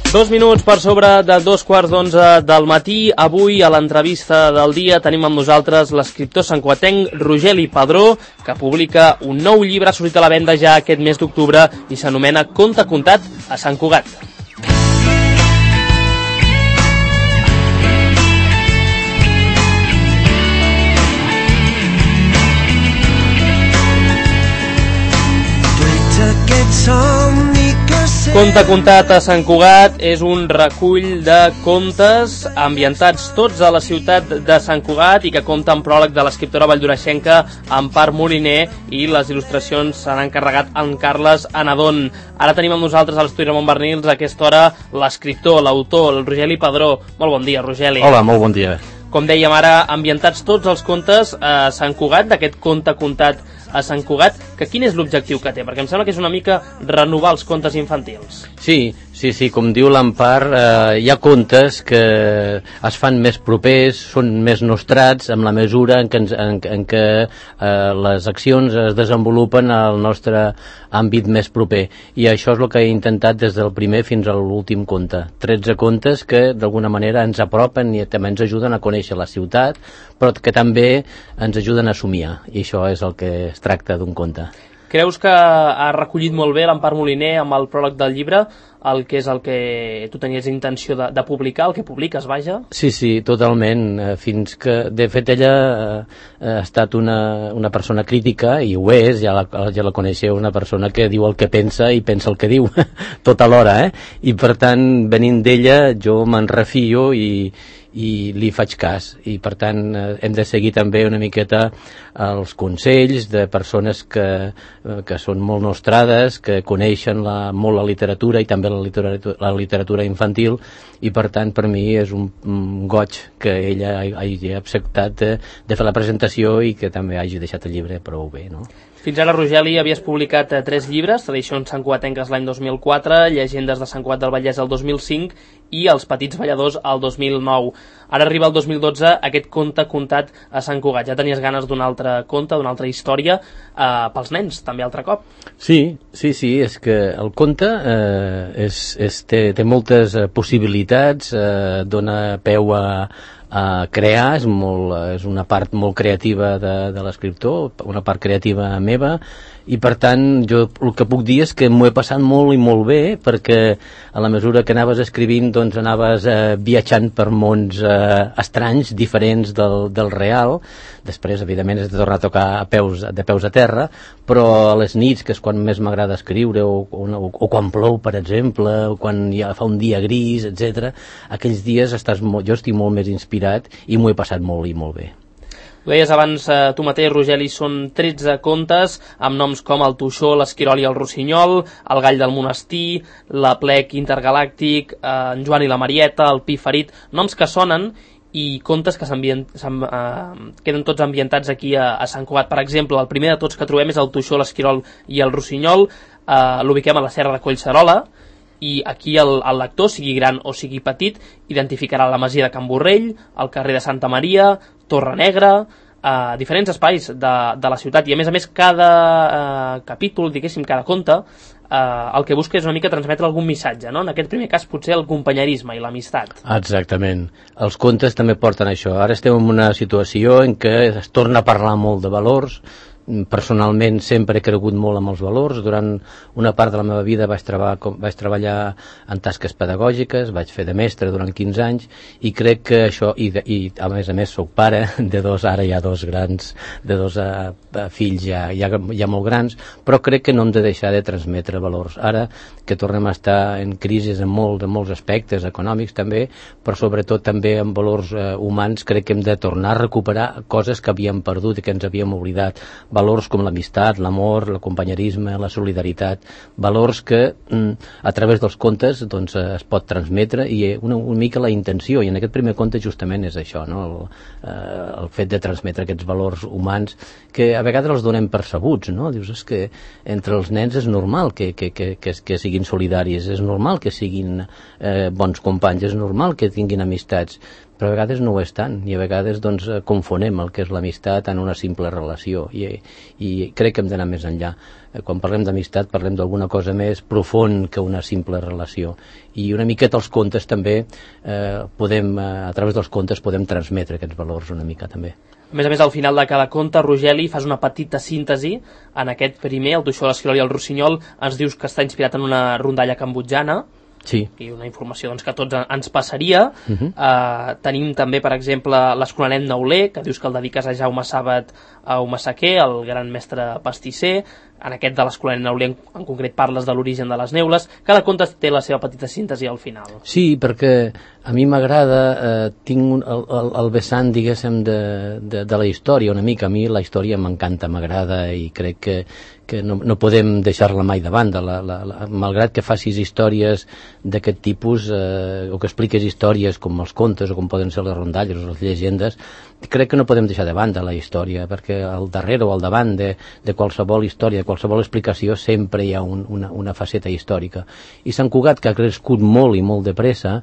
2 minuts per sobre de 2:15 del matí. Avui, a l'entrevista del dia, tenim amb nosaltres l'escriptor santcugatenc Rogeli Padró, que publica un nou llibre, ha sortit a la venda ja aquest mes d'octubre i s'anomena Conte contat a Sant Cugat. Conte contat a Sant Cugat és un recull de contes ambientats tots a la ciutat de Sant Cugat i que compta amb pròleg de l'escriptora valldoreixenca Empar Moliner, i les il·lustracions s'han encarregat en Carles Anadon. Ara tenim amb nosaltres a l'estudi Ramon Bernils a aquesta hora l'escriptor, l'autor, el Rogeli Padró. Molt bon dia, Rogeli. Hola, molt bon dia. Com dèiem ara, ambientats tots els contes a Sant Cugat, d'aquest Conte contat a Sant Cugat, que quin és l'objectiu que té? Perquè em sembla que és una mica renovar els contes infantils. Sí, com diu l'Empar, hi ha contes que es fan més propers, són més nostrats en la mesura en què les accions es desenvolupen al nostre àmbit més proper, i això és el que he intentat des del primer fins a l'últim conte. 13 contes que d'alguna manera ens apropen i també ens ajuden a conèixer la ciutat, però que també ens ajuden a somiar, i això és el que es tracta d'un conte. Creus que ha recollit molt bé l'Empar Moliner amb el pròleg del llibre el que és el que tu tenies intenció de publicar, el que publiques, vaja? Sí, totalment. Fins que, de fet, ella ha estat una persona crítica, i ho és, ja la coneixeu, una persona que diu el que pensa i pensa el que diu, tot alhora, i per tant, venint d'ella, jo me'n refio i li faig cas, i per tant hem de seguir també una miqueta els consells de persones que són molt nostrades, que coneixen molt la literatura i també la literatura infantil, i per tant per mi és un goig que ella hagi acceptat de fer la presentació i que també hagi deixat el llibre prou bé, no? Fins ara, Rogeli, havies publicat 3 llibres, Tradicions santcugatenques l'any 2004, Llegendes de Sant Cugat del Vallès el 2005 i Els petits balladors el 2009. Ara arriba el 2012 aquest Conte contat a Sant Cugat. Ja tenies ganes d'un altre conte, d'una altra història pels nens, també altre cop. Sí, és que el conte té moltes possibilitats, dona peu a crear, és una part molt creativa de l'escriptor, una part creativa meva, i per tant jo el que puc dir és que m'ho he passat molt i molt bé, perquè a la mesura que anaves escrivint doncs anaves viatjant per mons estranys, diferents del real. Després, evidentment, has de tornar a tocar de peus a terra, però a les nits, que és quan més m'agrada escriure, o quan plou, per exemple, o quan ja fa un dia gris, etc. Aquells dies jo estic molt més inspirat i m'ho he passat molt i molt bé. Ho deies abans tu mateix, Rogeli, són 13 contes amb noms com el Toixó, l'Esquirol i el Rossinyol, el Gall del Monestir, l'Aplec Intergalàctic, en Joan i la Marieta, el Pi Ferit, noms que sonen, i contes que queden tots ambientats aquí a Sant Cugat. Per exemple, el primer de tots que trobem és el Toixó, l'Esquirol i el Rossinyol, l'ubiquem a la Serra de Collserola, i aquí el lector, sigui gran o sigui petit, identificarà la masia de Can Borrell, el carrer de Santa Maria, Torre Negra, diferents espais de la ciutat, i a més cada capítol, diguéssim, cada conte, el que busca és una mica transmetre algun missatge, no? En aquest primer cas potser el companyerisme i l'amistat. Exactament. Els contes també porten això. Ara estem en una situació en què es torna a parlar molt de valors. Personalment sempre he cregut molt amb els valors. Durant una part de la meva vida vaig treballar en tasques pedagògiques, vaig fer de mestre durant 15 anys, i crec que això, i a més soc pare de ara hi ha dos grans, de dos fills ja molt grans, però crec que no hem de deixar de transmetre valors. Ara que tornem a estar en crisi en molts aspectes econòmics també, però sobretot també en valors humans, crec que hem de tornar a recuperar coses que havíem perdut i que ens havíem oblidat. Valors com l'amistat, l'amor, el companyerisme, la solidaritat, valors que a través dels contes doncs, es pot transmetre, i una mica la intenció, i en aquest primer conte justament és això, no? El fet de transmetre aquests valors humans que a vegades els donem percebuts, no? Dius, és que entre els nens és normal que siguin solidaris, és normal que siguin bons companys, és normal que tinguin amistats, però a vegades no ho és tant, i a vegades doncs, confonem el que és l'amistat en una simple relació, i crec que hem d'anar més enllà. Quan parlem d'amistat parlem d'alguna cosa més profund que una simple relació, i una miqueta els contes també podem, a través dels contes podem transmetre aquests valors una mica també. A més, al final de cada conte, Rogeli, fas una petita síntesi en aquest primer, el Toixó, l'Esquirol i el Rossinyol. Ens dius que està inspirat en una rondalla cambodjana, sí, i una informació doncs, que a tots ens passaria. Tenim també, per exemple, l'Escolanet Neuler, que dius que el dediques a Jaume Sàbat a Humassaquer, el gran mestre pastisser. En aquest de l'Escolanet Neuler en concret parles de l'origen de les neules. Cada conte té la seva petita síntesi al final. Sí, perquè a mi m'agrada, tinc el vessant, diguéssim, de la història una mica. A mi la història m'encanta, m'agrada, i crec que no podem deixar-la mai de banda. Malgrat que facis històries d'aquest tipus, o que expliques històries com els contes, o com poden ser les rondalles o les llegendes, crec que no podem deixar de banda la història, perquè al darrere o al davant de qualsevol història, de qualsevol explicació, sempre hi ha una faceta històrica. I Sant Cugat, que ha crescut molt i molt de pressa,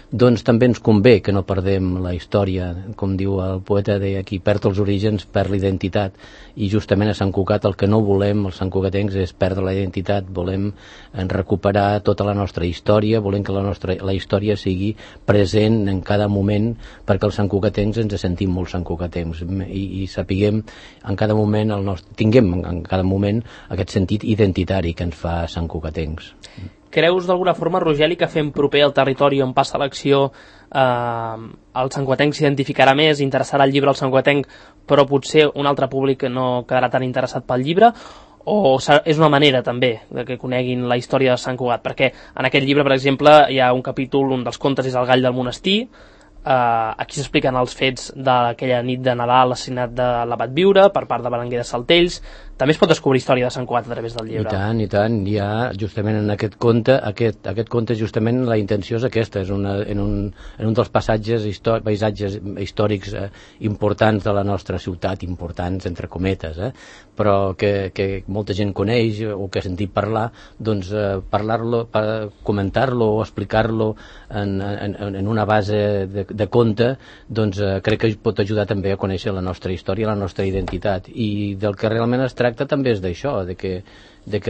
doncs també ens convé que no perdem la història. Com diu el poeta, deia, qui perd els orígens perd l'identitat, i justament a Sant Cugat el que no volem els santcugatencs és perdre la identitat. Volem recuperar tota la nostra història, volem que la història sigui present en cada moment, perquè els santcugatencs ens sentim molt santcugatencs, i sapiguem en cada moment tinguem en cada moment aquest sentit identitari que ens fa santcugatencs. Creus d'alguna forma, Rogeli, que fent proper al territori on passa l'acció el santcugatenc s'identificarà més, interessarà el llibre al santcugatenc, però potser un altre públic no quedarà tan interessat pel llibre? O és una manera també de que coneguin la història de Sant Cugat? Perquè en aquest llibre, per exemple, hi ha un capítol, un dels contes és el gall del monestir. Aquí s'expliquen els fets d'aquella nit de Nadal, l'assassinat de l'abat Viure per part de Berenguer de Saltells. També es pot descobrir història de Sant Cugat a través del llibre. I tant, hi ha justament en aquest conte, aquest conte justament la intenció és aquesta, és en un dels paisatges històrics importants de la nostra ciutat, importants entre cometes, però que molta gent coneix o que ha sentit parlar, doncs parlar-lo, comentar-lo o explicar-lo en una base de conte, doncs crec que pot ajudar també a conèixer la nostra història, la nostra identitat, i del que realment es tracta també és d'això, de que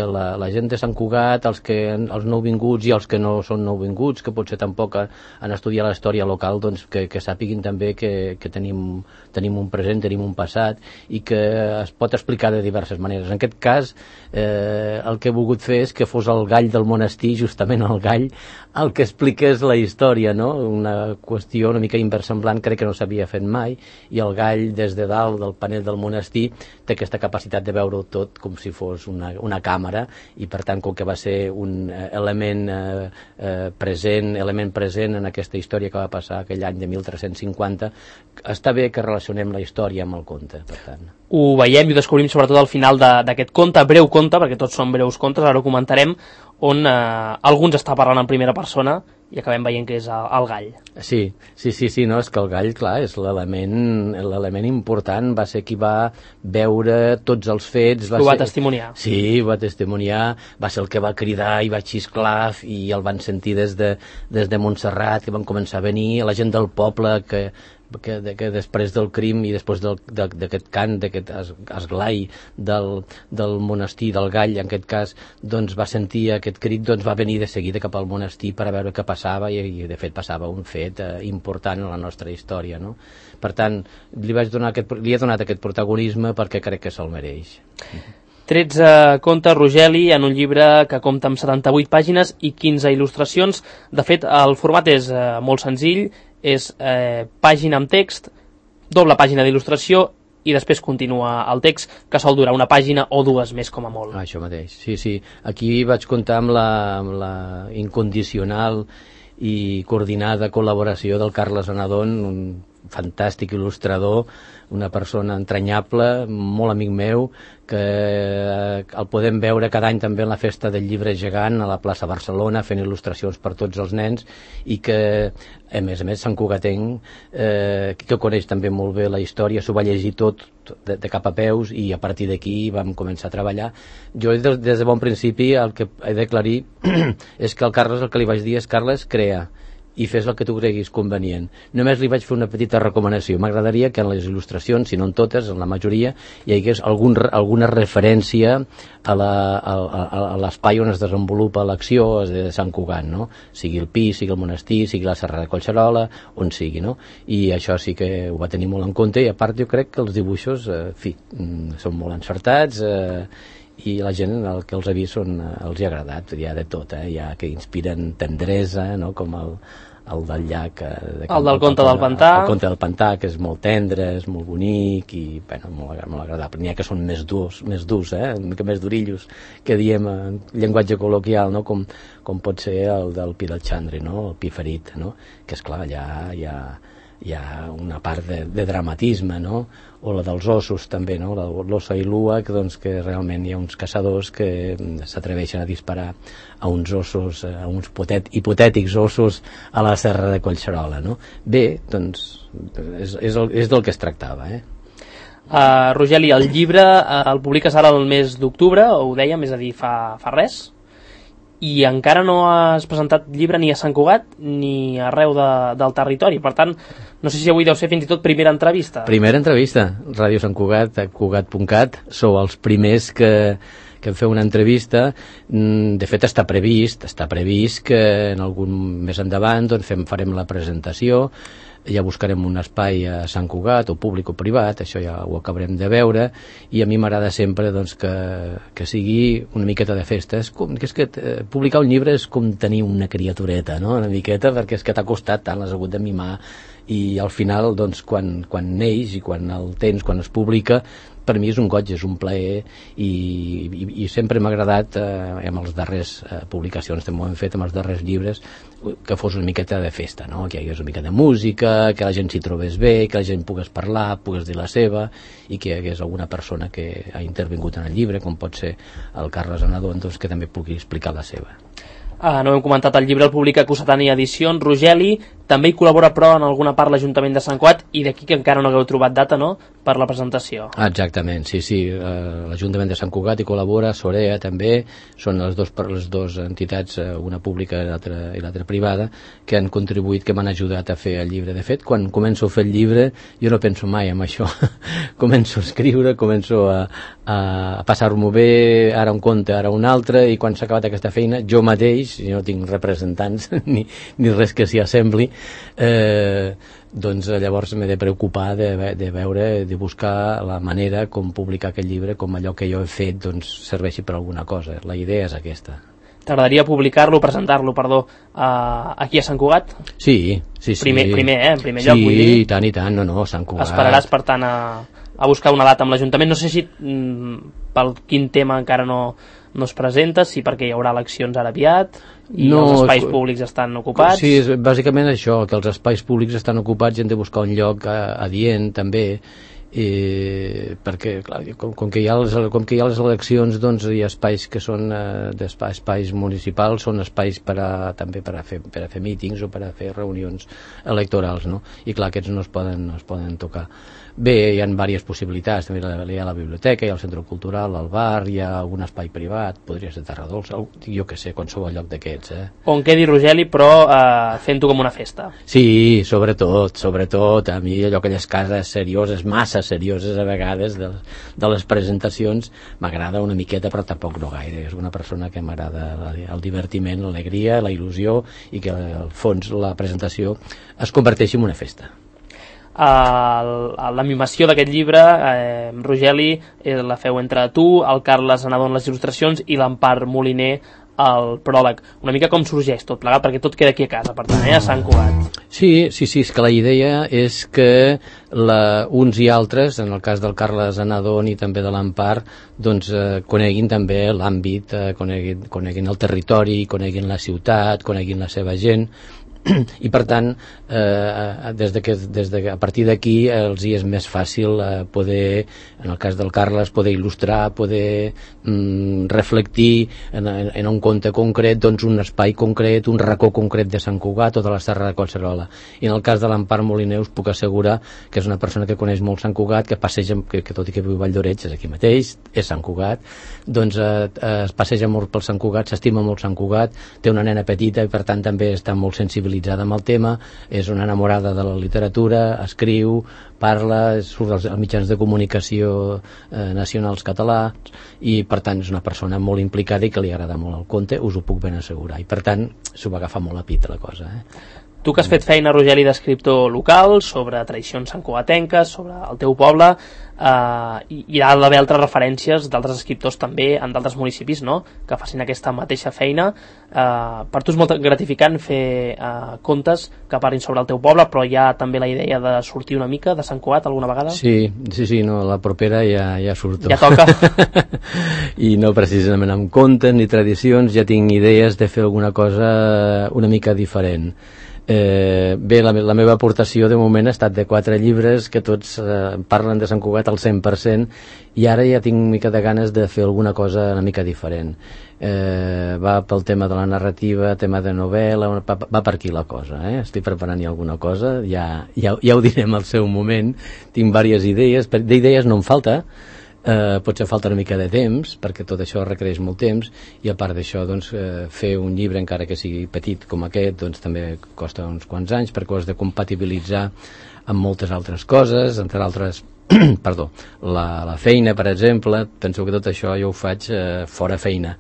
la gent de Sant Cugat, els nouvinguts i els que no són nouvinguts, que potser tampoc han estudiat la història local, doncs que sàpiguin també que tenim un present, tenim un passat, i que es pot explicar de diverses maneres. En aquest cas, el que he volgut fer és que fos el gall del monestir, justament el gall, el que expliqués la història, no? Una qüestió una mica inversemblant, crec que no s'havia fet mai, i el gall des de dalt del panell del monestir té aquesta capacitat de veure-ho tot com si fos una càmera, i per tant, com que va ser un element present en aquesta història que va passar aquell any de 1350, està bé que relacionem la història amb el conte, per tant. Ho veiem i ho descobrim sobretot al final d'aquest conte, breu conte, perquè tots són breus contes, ara ho comentarem, on alguns està parlant en primera persona i acabem veient que és el gall. Sí, no, és que el gall, clar, és l'element important, va ser qui va veure tots els fets. Ho va testimoniar. Sí, ho va testimoniar, va ser el que va cridar i va xisclar, i el van sentir des de Montserrat, que van començar a venir, la gent del poble que després del crim i després d'aquest cant, d'aquest esglai del monestir, del gall, en aquest cas, doncs va sentir aquest crit, doncs va venir de seguida cap al monestir per a veure què passava, i de fet passava un fet important en la nostra història, no? Per tant, li he donat aquest protagonisme perquè crec que se'l mereix. 13 contes, Rogeli, en un llibre que compta amb 78 pàgines i 15 il·lustracions. De fet, el format és molt senzill, és pàgina amb text, doble pàgina d'il·lustració i després continua el text, que sol durar una pàgina o dues més com a molt. Això mateix, sí. Aquí vaig comptar amb la incondicional i coordinada col·laboració del Carles Anadón, un fantàstic il·lustrador, una persona entranyable, molt amic meu, que el podem veure cada any també en la festa del llibre gegant a la plaça Barcelona, fent il·lustracions per tots els nens, i que a més santcugatenc, que coneix també molt bé la història, s'ho va llegir tot de cap a peus, i a partir d'aquí vam començar a treballar. Jo des de bon principi el que he d'aclarir és que al Carles el que li vaig dir és: Carles, crea, i fes el que tu creguis convenient. Només li vaig fer una petita recomanació. M'agradaria que en les il·lustracions, si no en totes, en la majoria, hi hagués alguna referència a l'espai on es desenvolupa l'acció de Sant Cugat, no? Sigui el Pi, sigui el monestir, sigui la Serra de Collserola, on sigui, no? I això sí que ho va tenir molt en compte, i a part jo crec que els dibuixos, són molt encertats, i la gent el que els ha vist els hi ha agradat, hi ha de tot, hi ha que inspiren tendresa, no? Com el del llac el del conte del pantà, el conte del pantà, que és molt tendre, és molt bonic i bueno, molt agradable. N'hi ha que són més durs, una mica més durillos, que diem en llenguatge col·loquial, no? Com pot ser el del Pi del Xandri, no? El Pi ferit, no? Que esclar, allà hi ha una part de dramatisme, no? O la dels ossos també, no? L'ossa i l'ua, que realment hi ha uns caçadors que s'atreveixen a disparar a uns ossos, a uns hipotètics ossos a la Serra de Collserola, no? Bé, doncs és del que es tractava, Rogeli, el llibre el publiques ara el mes d'octubre, ho dèiem, és a dir, fa res, i encara no has presentat llibre ni a Sant Cugat ni arreu del territori, per tant no sé si avui deu ser fins i tot primera entrevista. Primera entrevista, Ràdio Sant Cugat, cugat.cat, sou els primers que em feu una entrevista. De fet està previst que en algun més endavant doncs farem la presentació, ja buscarem un espai a Sant Cugat, o públic o privat, això ja ho acabarem de veure, i a mi m'agrada sempre doncs, que sigui una miqueta de festa. És que publicar un llibre és com tenir una criatureta, no? Una miqueta, perquè és que t'ha costat tant, l'has hagut de mimar, i al final doncs, quan neix i quan el tens, quan es publica, per mi és un goig, és un plaer, i sempre m'ha agradat amb les darreres publicacions, també ho hem fet amb els darrers llibres, que fos una miqueta de festa, no? Que hi hagués una mica de música, que la gent s'hi trobés bé, que la gent pogués parlar, pogués dir la seva, i que hi hagués alguna persona que ha intervingut en el llibre, com pot ser el Carles Anadon, doncs, que també pugui explicar la seva. No hem comentat, el llibre el publica Cossetània Edicions. Rogeli, també hi col·labora però en alguna part l'Ajuntament de Sant Cugat, i d'aquí que encara no hagueu trobat data, no?, per la presentació. Exactament, sí, l'Ajuntament de Sant Cugat hi col·labora, Sorea també, són les dues entitats, una pública i l'altra privada, que han contribuït, que m'han ajudat a fer el llibre. De fet, quan començo a fer el llibre jo no penso mai en això, començo a escriure, començo a passar-m'ho bé, ara un conte, ara un altre, i quan s'ha acabat aquesta feina, jo mateix, si no tinc representants ni res que s'hi assembli, doncs llavors m'he de preocupar de veure, de buscar la manera com publicar aquest llibre, com allò que jo he fet doncs serveixi per alguna cosa. La idea és aquesta. T'agradaria presentar-lo, aquí a Sant Cugat? Sí. Primer, en primer lloc, vull dir. Sí, i tant, no, Sant Cugat. Esperaràs, per tant, a buscar una data amb l'Ajuntament. No sé si pel quin tema encara no es presenta, si perquè hi haurà eleccions ara aviat i els espais públics estan ocupats. Sí, és bàsicament això, que els espais públics estan ocupats i hem de buscar un lloc adient també, perquè clar, com que hi ha les eleccions, doncs hi ha espais que són espais municipals, són espais també per a fer mítings o per a fer reunions electorals, no? I clar, aquests no es poden tocar. Bé, hi ha diverses possibilitats, també hi ha la biblioteca, hi ha el centre cultural, el bar, hi ha un espai privat, podria ser Terra Dolça, jo que sé, qualsevol lloc d'aquests. On quedi, Rogeli, però fent-ho com una festa. Sí, sobretot, a mi allò, aquelles cases serioses, massa serioses a vegades, de les presentacions, m'agrada una miqueta, però tampoc no gaire. És una persona que m'agrada el divertiment, l'alegria, la il·lusió, i que al fons la presentació es converteixi en una festa. L'animació d'aquest llibre, Rogeli, la feu entre tu, el Carles Anadon les il·lustracions i l'Empar Moliner el pròleg. Una mica com sorgeix tot plegat, perquè tot queda aquí a casa, per tant, a Sant Cugat. Sí, és que la idea és que uns i altres, en el cas del Carles Anadon i també de l'Empar, doncs coneguin també l'àmbit, coneguin el territori, coneguin la ciutat, coneguin la seva gent, i per tant a partir d'aquí els hi és més fàcil poder, en el cas del Carles, poder il·lustrar, poder reflectir en un conte concret, doncs un espai concret, un racó concret de Sant Cugat o de la Serra de Collserola. I en el cas de l'Empar Moliner us puc assegurar que és una persona que coneix molt Sant Cugat, que passeja, que tot i que viu a Valldoreix, és aquí mateix, és Sant Cugat, doncs es passeja molt pel Sant Cugat, s'estima molt Sant Cugat, té una nena petita i per tant també està molt sensibilitzat familiaritzada amb el tema, és una enamorada de la literatura, escriu, parla, surt als mitjans de comunicació nacionals catalans, i per tant és una persona molt implicada i que li agrada molt el conte, us ho puc ben assegurar, i per tant s'ho va agafar molt a pit la cosa. Tu que has fet feina, Rogeli, d'escriptor local, sobre tradicions santcugatenques, sobre el teu poble, hi ha d'haver altres referències d'altres escriptors també en d'altres municipis, no?, que facin aquesta mateixa feina. Per tu és molt gratificant fer contes que parlin sobre el teu poble, però hi ha també la idea de sortir una mica de Sant Cugat alguna vegada? Sí, no, la propera ja surto. Ja toca. I no precisament amb contes ni tradicions, ja tinc idees de fer alguna cosa una mica diferent. Bé, la meva aportació de moment ha estat de 4 llibres que tots parlen de Sant Cugat al 100%, i ara ja tinc una mica de ganes de fer alguna cosa una mica diferent. Va pel tema de la narrativa, tema de novel·la, va per aquí la cosa, estic preparant ja alguna cosa, ja ho direm al seu moment. Tinc diverses idees, d'idees no em falta, potser falta una mica de temps, perquè tot això requereix molt temps, i a part d'això, doncs, fer un llibre, encara que sigui petit com aquest, doncs també costa uns quants anys, perquè ho has de compatibilitzar amb moltes altres coses, entre altres perdó, la feina, per exemple. Penso que tot això jo ho faig fora feina,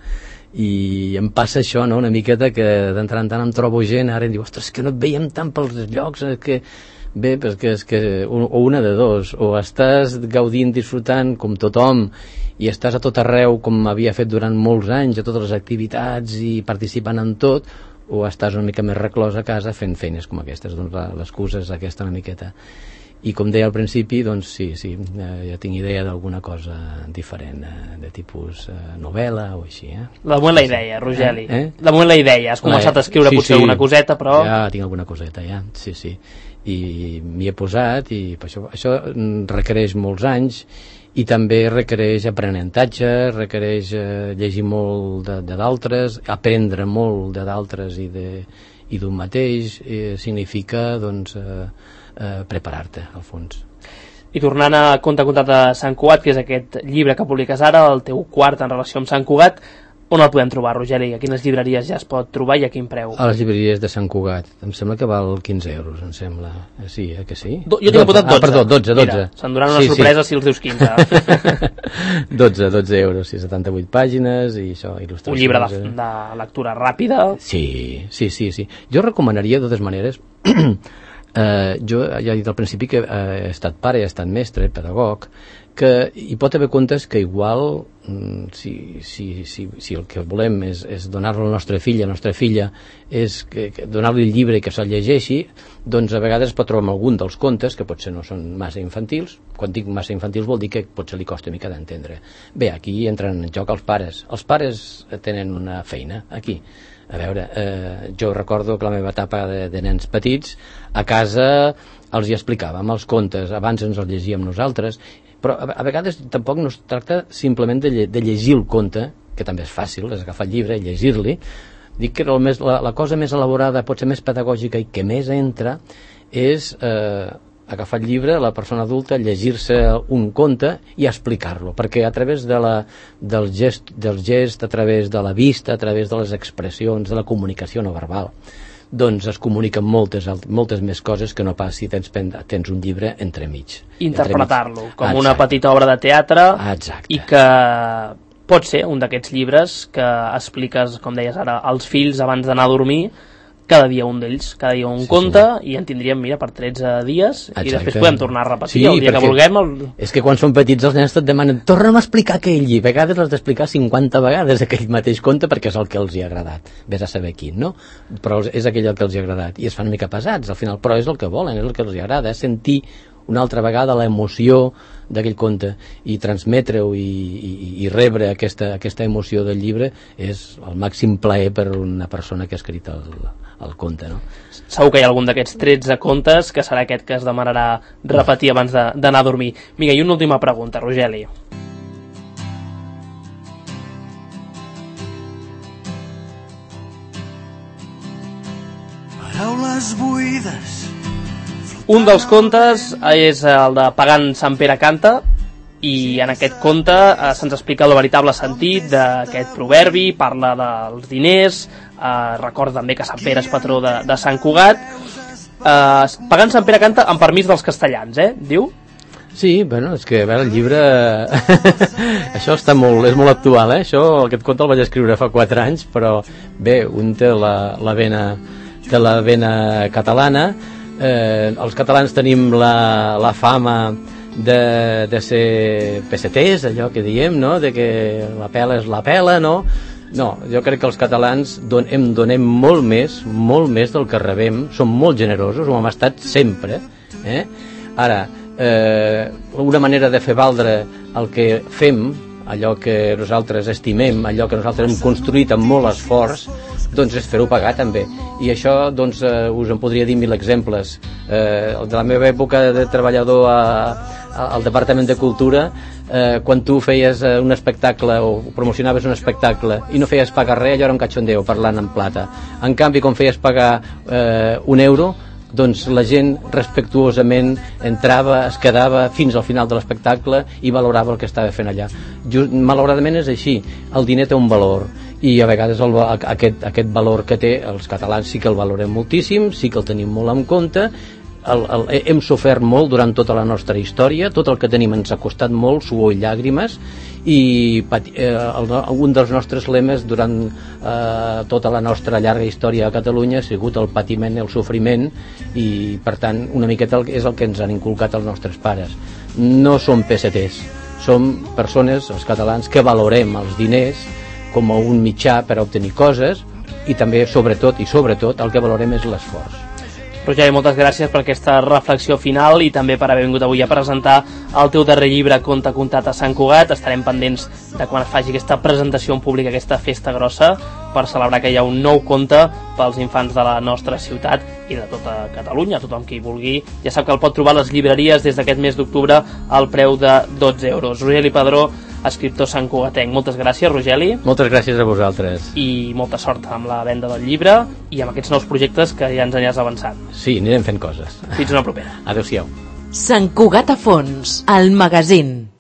i em passa això, no?, una miqueta, que d'entrar en tant em trobo gent ara i em diu, ostres, que no et veiem tant pels llocs, que bé, perquè és que o una de dos, o estàs gaudint, disfrutant com tothom, i estàs a tot arreu com havia fet durant molts anys, a totes les activitats i participant en tot, o estàs una mica més reclòs a casa fent feines com aquestes. Doncs l'excusa és aquesta una miqueta. I com deia al principi, doncs sí, ja tinc idea d'alguna cosa diferent, de tipus novel·la o així. De moment la idea, Rogeli. De moment la idea. Has començat a escriure potser alguna coseta, però... Ja tinc alguna coseta, ja. Sí. I m'hi he posat, i per això requereix molts anys, i també requereix aprenentatge, requereix llegir molt de d'altres, aprendre molt de d'altres i d'un mateix. Significa, doncs, preparar-te, al fons. I tornant a Conte contat de Sant Cugat, que és aquest llibre que publiques ara, el teu quart en relació amb Sant Cugat, on el podem trobar, Rogeli? A quines llibreries ja es pot trobar i a quin preu? A les llibreries de Sant Cugat. Em sembla que val 15 euros, em sembla. Sí, que sí? Jo tinc apuntat 12. Perdó, 12. Mira, s'enduran una sorpresa si els dius 15. 12 euros, 78 pàgines i això, il·lustracions. Un llibre de lectura ràpida. Sí. Jo recomanaria, de totes maneres, jo ja he dit al principi que he estat pare, he estat mestre, pedagog, que hi pot haver contes que igual, si el que volem és donar-lo al nostre fill, a la nostra filla, és donar-li el llibre i que se'l llegeixi, doncs a vegades es pot trobar amb algun dels contes que potser no són massa infantils. Quan dic massa infantils vol dir que potser li costa una mica d'entendre. Bé, aquí entren en joc els pares. Els pares tenen una feina aquí. A veure, jo recordo que la meva etapa de nens petits, a casa els hi explicàvem els contes, abans ens els llegíem nosaltres, però a vegades tampoc no es tracta simplement de llegir el conte, que també és fàcil, és agafar el llibre i llegir-li. Dic que la cosa més elaborada, potser més pedagògica i que més entra, és agafar el llibre, la persona adulta, llegir-se un conte i explicar-lo, perquè a través del gest, a través de la vista, a través de les expressions, de la comunicació no verbal, doncs es comuniquen moltes més coses que no pas si tens un llibre entremig. Interpretar-lo com una petita obra de teatre. Exacte. I que pot ser un d'aquests llibres que expliques, com deies ara, als fills abans d'anar a dormir, cada dia un d'ells, cada dia un conte, i en tindríem, mira, per 13 dies. Exacte. I després podem tornar a repetir el dia que vulguem. És que quan són petits els nens et demanen, torna'm a explicar aquell llibre. A vegades l'has d'explicar 50 vegades aquell mateix conte perquè és el que els hi ha agradat. Vés a saber quin, no? Però és aquell el que els hi ha agradat. I es fan una mica pesats, al final, però és el que volen, és el que els hi agrada, sentir una altra vegada l'emoció d'aquell conte i transmetre-ho i rebre aquesta emoció del llibre és el màxim plaer per una persona que ha escrit el conte, no? Segur que hi ha algun d'aquests 13 contes que serà aquest que es demanarà repetir abans d'anar a dormir. Vinga, i una última pregunta, Rogeli. Paraules buides. Un dels contes és el de Pagant Sant Pere canta, I en aquest conte se'ns explica el veritable sentit d'aquest proverbi, parla dels diners, recorda també que Sant Pere és patró de Sant Cugat. Pagant Sant Pere canta amb permís dels castellans, diu? Sí, bueno, és que a veure, el llibre això està és molt actual, aquest conte el vaig escriure fa 4 anys, però bé, un té la vena catalana. Els catalans tenim la fama de ser peseters, allò que diem, no? De que la pela és la pela, no? No, jo crec que els catalans donem molt més del que rebem, som molt generosos, ho hem estat sempre. Ara, una manera de fer valdre el que fem, allò que nosaltres estimem, allò que nosaltres hem construït amb molt esforç, doncs és fer-ho pagar també. I això doncs, us en podria dir 1000 exemples. De la meva època de treballador al Departament de Cultura, quan tu feies un espectacle o promocionaves un espectacle i no feies pagar res, allò era un cachondeo parlant en plata. En canvi, quan feies pagar €1, doncs la gent respectuosament entrava, es quedava fins al final de l'espectacle i valorava el que estava fent allà. Malauradament és així, el diner té un valor i a vegades aquest valor que té els catalans sí que el valorem moltíssim, sí que el tenim molt en compte. Hem sofert molt durant tota la nostra història, tot el que tenim ens ha costat molt, suor i llàgrimes, i un dels nostres lemes durant tota la nostra llarga història a Catalunya ha sigut el patiment i el sofriment, i per tant una miqueta és el que ens han inculcat els nostres pares. No som peseters, som persones, els catalans, que valorem els diners com a un mitjà per a obtenir coses, i també sobretot el que valorem és l'esforç. Rogeri, moltes gràcies per aquesta reflexió final i també per haver vingut avui a presentar el teu darrer llibre, Conte contat a Sant Cugat. Estarem pendents de quan es faci aquesta presentació en públic, aquesta festa grossa, per celebrar que hi ha un nou conte pels infants de la nostra ciutat i de tota Catalunya. Tothom que hi vulgui ja sap que el pot trobar a les llibreries des d'aquest mes d'octubre al preu de €12. Rogeli Padró, escriptor santcugatenc. Moltes gràcies, Rogeli. Moltes gràcies a vosaltres. I molta sort amb la venda del llibre i amb aquests nous projectes que ja ens aniràs avançant. Sí, anirem fent coses. Fins una propera. Adéu-siau. Sant Cugat a fons, el magazín.